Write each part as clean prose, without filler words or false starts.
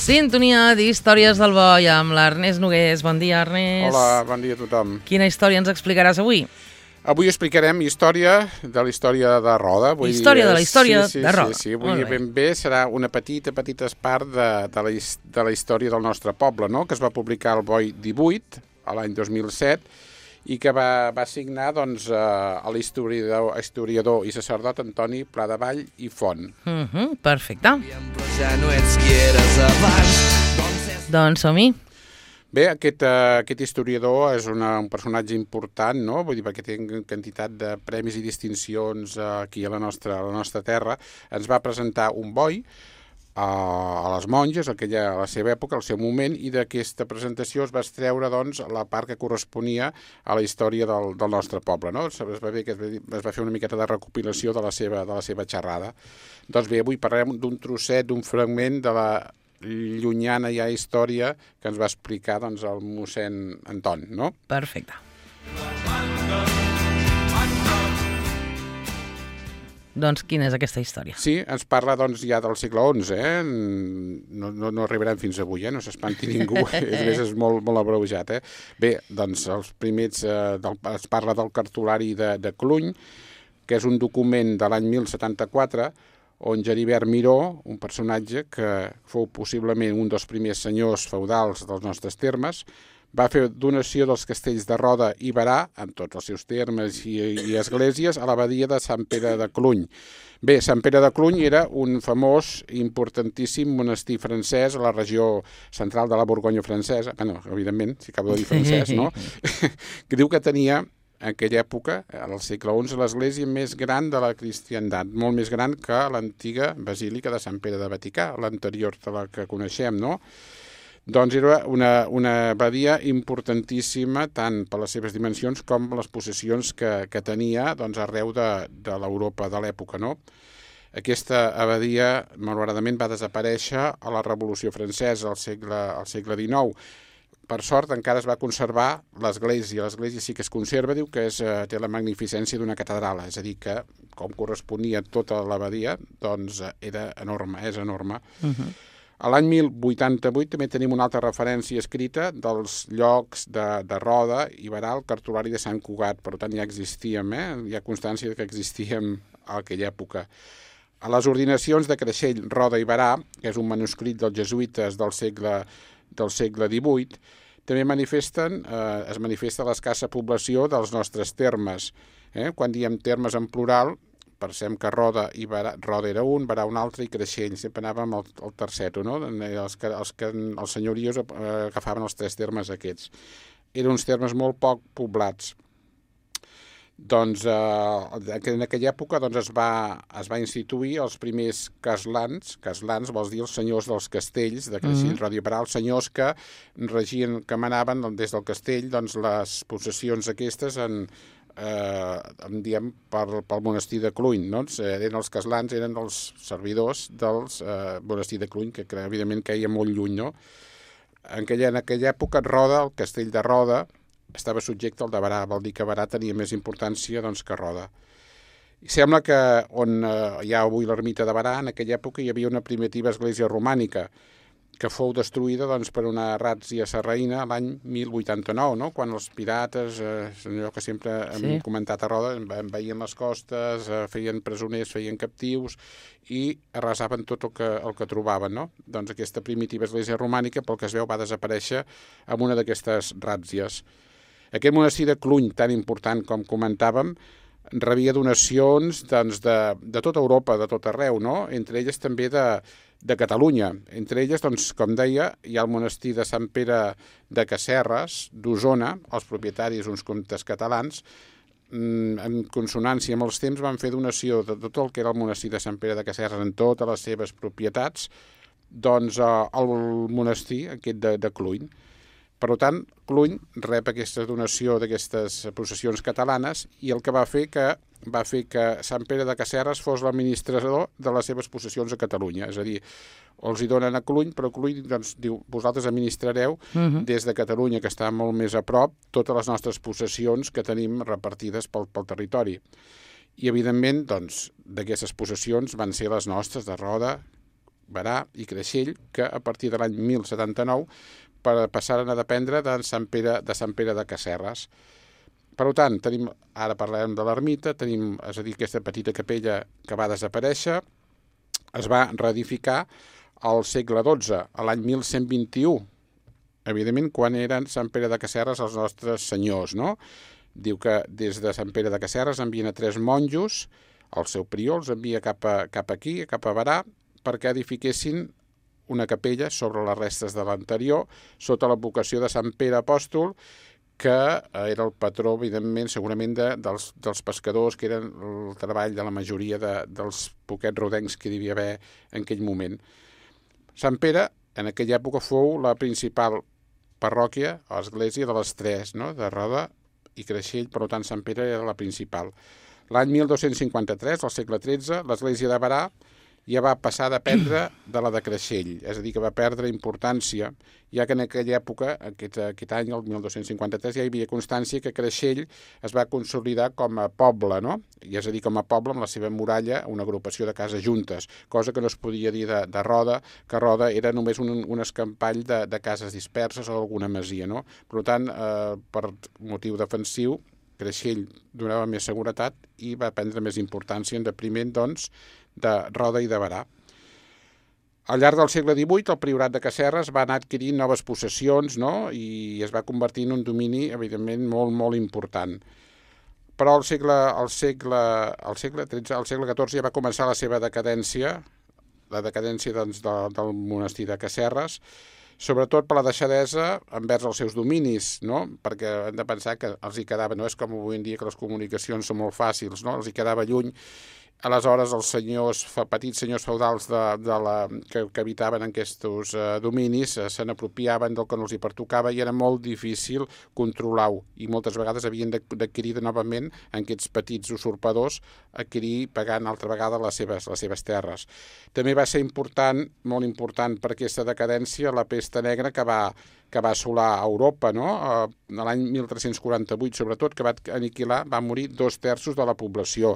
Sintonia d'Històries del Boi amb l'Ernest Nogués. Bon dia, Ernest. Hola, bon dia a tothom. Quina història ens explicaràs avui? Avui explicarem història de la història de Roda. Història de la història de Roda. Sí, avui ben bé serà una petita part de la història del nostre poble, no? Que es va publicar al Boi 18, a l'any 2007, i que va signar doncs, a l'historiador i sacerdot Antoni Pladevall i Font. Perfecte. Doncs som-hi. Bé, aquest historiador és un personatge important, no? Vull dir, perquè té quantitat de premis i distincions aquí a la nostra terra. Ens va presentar un boi a les monges, a la seva època, al seu moment, i d'aquesta presentació es va extreure doncs, la part que corresponia a la història del nostre poble. No? Es va fer una miqueta de recopilació de la seva xerrada. Doncs bé, avui parlarem d'un trosset, d'un fragment de la llunyana ja història que ens va explicar doncs, el mossèn Anton. No? Perfecte. Doncs quina és aquesta història? Sí, ens parla doncs, ja del segle XI, no arribarem fins avui, no s'espanti ningú, és molt abreujat. Bé, doncs els primers es parla del cartulari de Cluny, que és un document de l'any 1074, on Geribert Miró, un personatge que fou possiblement un dels primers senyors feudals dels nostres termes, va fer donació dels castells de Roda i Berà, amb tots els seus termes i esglésies, a l'abadia de Sant Pere de Cluny. Bé, Sant Pere de Cluny era un famós i importantíssim monestir francès a la regió central de la Borgonya francesa, bueno, evidentment, si acabo de dir francès, no? Que diu que tenia, en aquella època, al segle XI, l'església més gran de la cristiandat, molt més gran que l'antiga basílica de Sant Pere de Vaticà, l'anterior de la que coneixem, no? Doncs era una abadia importantíssima tant per les seves dimensions com les possessions que tenia doncs, arreu de l'Europa de l'època. No? Aquesta abadia, malauradament, va desaparèixer a la Revolució Francesa al segle XIX. Per sort, encara es va conservar l'església. L'església sí que es conserva, diu que té la magnificència d'una catedral, és a dir, que com corresponia tota l'abadia, doncs era enorme, és enorme. A l'any 1088 també tenim una altra referència escrita dels llocs de Roda i Berà, el cartulari de Sant Cugat. Per tant, ja existíem, hi ha constància que existíem a aquella època. A les ordinacions de Creixell, Roda i Berà, que és un manuscrit dels jesuïtes del segle XVIII, també es manifesta l'escassa població dels nostres termes. Quan diem termes en plural, pensem que Roda era un, Berà un altre i Creixell, sempre anàvem al terceto, no? Els senyorios agafaven els tres termes aquests. Eren uns termes molt poc poblats. Doncs en aquella època doncs, es va instituir els primers caslans vols dir els senyors dels castells de Creixell, Roda i Berà, els senyors que regien, que manaven des del castell doncs, les possessions aquestes diem pel monestir de Cluny, no? Eren els caslans, eren els servidors del monestir de Cluny, que evidentment queia molt lluny, no? En aquella època Roda, el castell de Roda, estava subjecte al de Berà, vol dir que Berà tenia més importància doncs, que Roda. I sembla que on hi ha avui l'ermita de Berà, en aquella època hi havia una primitiva església romànica, que fou destruïda doncs, per una ràtzia sarraïna l'any 1089, no? Quan els pirates, allò que sempre hem comentat a Roda, envaïen les costes, feien presoners, feien captius i arrasaven tot el que trobaven. No? Doncs aquesta primitiva església romànica, pel que es veu, va desaparèixer amb una d'aquestes ràtzies. Aquest monestir de Cluny, tan important com comentàvem, rebia donacions doncs, de tota Europa, de tot arreu, no? Entre elles també de Catalunya. Entre elles, doncs, com deia, hi ha el monestir de Sant Pere de Casserres, d'Osona, els propietaris, uns comtes catalans, en consonància amb els temps, van fer donació de tot el que era el monestir de Sant Pere de Casserres en totes les seves propietats, doncs al monestir aquest de Cluny. Per tant, Cluny rep aquesta donació d'aquestes possessions catalanes i el que va fer que Sant Pere de Casserres fos l'administrador de les seves possessions a Catalunya. És a dir, els hi donen a Cluny, però Cluny doncs, diu, vosaltres administrareu des de Catalunya, que està molt més a prop, totes les nostres possessions que tenim repartides pel territori. I, evidentment, doncs, d'aquestes possessions van ser les nostres de Roda, Berà i Creixell, que a partir de l'any 1079 passaren a dependre de Sant Pere de Casserres. Per tant, ara parlarem de l'ermita, tenim, és a dir, aquesta petita capella que va desaparèixer, es va reedificar al segle XII, a l'any 1121, evidentment quan eren Sant Pere de Casserres els nostres senyors, no? Diu que des de Sant Pere de Casserres envien a 3 monjos, el seu prior els envia cap aquí, cap a Berà, perquè edifiquessin una capella sobre les restes de l'anterior, sota la vocació de Sant Pere Apòstol, que era el patró, evidentment, segurament dels pescadors, que eren el treball de la majoria dels poquets rodencs que hi devia haver en aquell moment. Sant Pere, en aquella època, fou la principal parròquia, o església de les 3, no? De Roda i Creixell, per tant, Sant Pere era la principal. L'any 1253, al segle XIII, l'església de Berà ja va passar a dependre de la de Creixell, és a dir, que va perdre importància, ja que en aquella època, aquest any, el 1253, ja hi havia constància que Creixell es va consolidar com a poble, no? I és a dir, com a poble amb la seva muralla, una agrupació de cases juntes, cosa que no es podia dir de Roda, que Roda era només un escampall de cases disperses o alguna masia, no? Per tant, per motiu defensiu, Creixell donava més seguretat i va prendre més importància en detriment, doncs, de Roda i de Berà. Al llarg del segle XVIII, el priorat de Casserres va anar adquirint noves possessions, no? I es va convertir en un domini, evidentment, molt, molt important. Però al segle XIV ja va començar la seva decadència, la decadència doncs, del monestir de Casserres, sobretot per la deixadesa envers els seus dominis, no? Perquè hem de pensar que els hi quedava, no és com avui en dia que les comunicacions són molt fàcils, no? Els hi quedava lluny. Aleshores, els petits senyors feudals que habitaven en aquests dominis se n'apropiaven del que no els hi pertocava i era molt difícil controlar-ho. I moltes vegades havien d'adquirir novament aquests petits usurpadors, pagant altra vegada les seves terres. També va ser important, molt important per aquesta decadència, la pesta negra que va assolar a Europa, no? L'any 1348, sobretot, que va morir 2/3 de la població.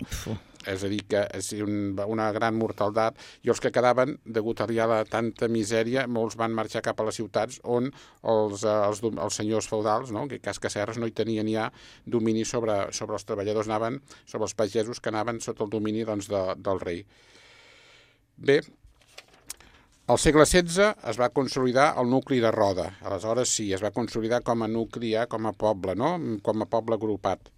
És a dir, que és una gran mortaldat, i els que quedaven, degut a tanta misèria, molts van marxar cap a les ciutats on els senyors feudals, no? Que cas Casserres no hi tenien ja domini sobre els treballadors, sobre els pagesos que anaven sota el domini doncs, del rei. Bé, al segle XVI es va consolidar el nucli de Roda. Aleshores sí, es va consolidar com a nucli, com a poble, no? Com a poble agrupat.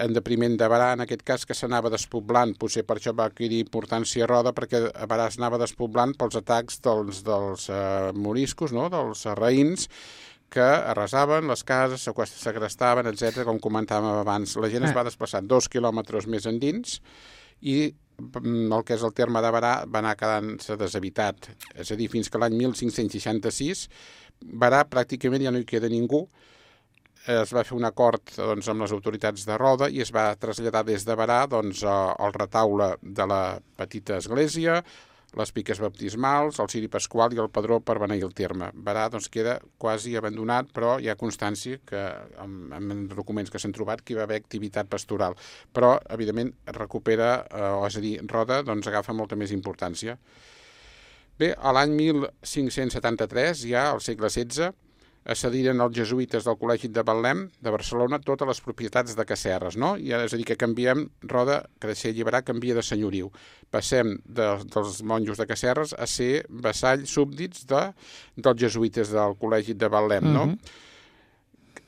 En detriment de Berà, en aquest cas, que s'anava despoblant. Potser per això va adquirir importància Roda, perquè a Berà s'anava despoblant pels atacs dels moriscos, no? Dels raïns, que arrasaven les cases, segrestaven, etc. Com comentàvem abans. La gent es va desplaçar 2 quilòmetres més endins i el que és el terme de Berà va anar quedant-se deshabitat. És a dir, fins que l'any 1566 Berà pràcticament ja no hi queda ningú. Es va fer un acord doncs, amb les autoritats de Roda i es va traslladar des de Berà doncs, el retaule de la petita església, les piques baptismals, el ciri pasqual i el padró per beneir el terme. Berà doncs, queda quasi abandonat, però hi ha constància que amb documents que s'han trobat que hi va haver activitat pastoral. Però, evidentment, recupera, és a dir, Roda doncs, agafa molta més importància. Bé, a l'any 1573, ja al segle XVI, accediren els jesuïtes del Col·legi de Betlem de Barcelona totes les propietats de Casserres, no? És a dir, que canviem Roda, Creixell i Berà canvia de senyoriu. Passem dels monjos de Casserres a ser vassalls súbdits dels jesuïtes del Col·legi de Betlem, no?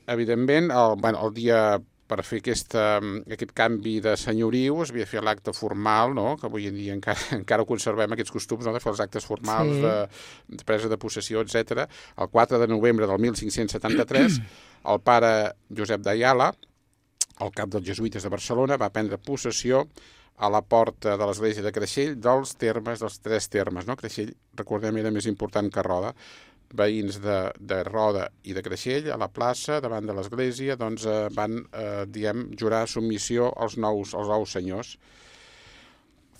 Evidentment, el dia per fer aquest canvi de senyoriu es havia de fer l'acte formal, no? Que avui en dia encara conservem aquests costums, no? De fer els actes formals, sí, de presa de possessió, etc. El 4 de novembre del 1573, el pare Josep d'Ayala, el cap dels jesuïtes de Barcelona, va prendre possessió a la porta de l'església de Creixell dels 3 termes, no? Creixell, recordem, era més important que Roda. Veïns de Roda i de Creixell, a la plaça, davant de l'església, doncs van, jurar submissió als nous senyors.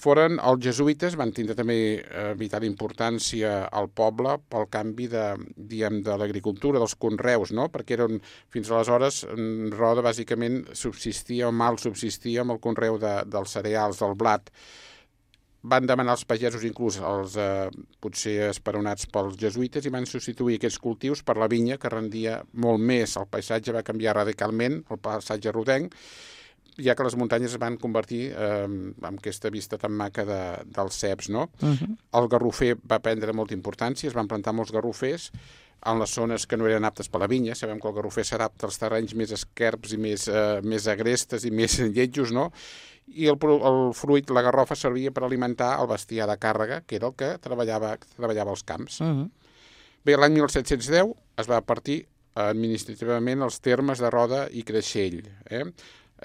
Els jesuïtes van tindre també vital importància al poble pel canvi de l'agricultura, dels conreus, no? Perquè fins aleshores Roda bàsicament subsistia o mal subsistia amb el conreu dels cereals, del blat. van demanar als pagesos, inclús els potser esperonats pels jesuïtes, i van substituir aquests cultius per la vinya, que rendia molt més. El paisatge va canviar radicalment, el paisatge rodenc, ja que les muntanyes es van convertir en aquesta vista tan maca dels ceps, no? El garrofer va prendre molta importància, es van plantar molts garrofers en les zones que no eren aptes per la vinya. Sabem que el garrofer s'adapta als terrenys més esquerps i més agrestes i més lletjos, no? I el fruit, la garrofa, servia per alimentar el bestiar de càrrega, que era el que treballava als camps. Bé, l'any 1710 es va partir administrativament els termes de Roda i Creixell,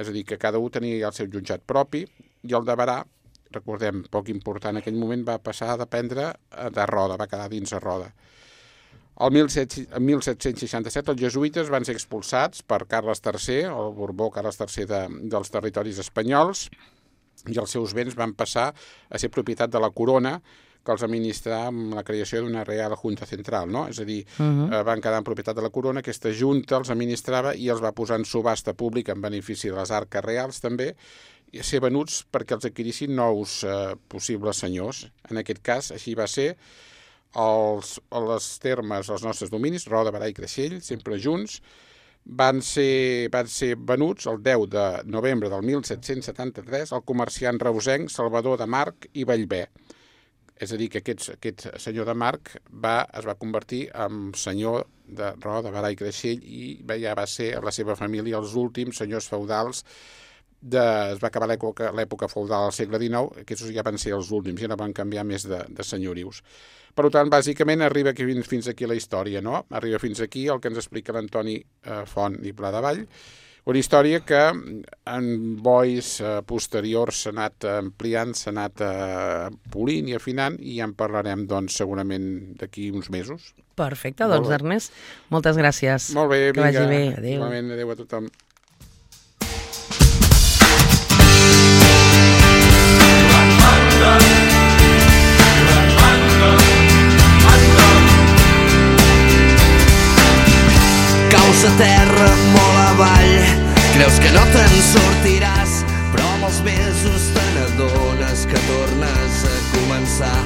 és a dir, que cada un tenia el seu jutjat propi, i el de Berà, recordem, poc important en aquell moment, va passar a dependre de Roda, va quedar dins de Roda. El 1767 els jesuïtes van ser expulsats per Carles III, el Borbó Carles III dels territoris espanyols, i els seus béns van passar a ser propietat de la corona, que els administrava amb la creació d'una Real Junta Central, no? És a dir, van quedar en propietat de la corona, aquesta junta els administrava i els va posar en subhasta pública en benefici de les arques reals també, i a ser venuts perquè els adquirissin nous possibles senyors. En aquest cas, així va ser. Les termes, els nostres dominis, Roda, Berà i Creixell, sempre junts, van ser venuts el 10 de novembre del 1773 al comerciant reusenc Salvador de March i Bellver. És a dir, que aquest senyor de March es va convertir en senyor de Roda, Berà i Creixell, i ja va ser la seva família els últims senyors feudals. Es va acabar l'època feudal al segle XIX, aquests ja van ser els últims, ja no van canviar més de senyorius. Per tant, bàsicament, arriba fins aquí la història, no? Arriba fins aquí el que ens explica l'Antoni Font i Pladevall, una història que en bois posteriors s'ha anat ampliant, s'ha anat polint i afinant, i ja en parlarem, doncs, segurament d'aquí uns mesos. Perfecte, doncs, Ernest, moltes gràcies. Molt bé, vinga. Que vagi bé, adéu. Igualment, adéu a tothom. Caus a terra molt avall, creus que no te'n sortiràs, però amb els mesos te n'adones que tornes a començar.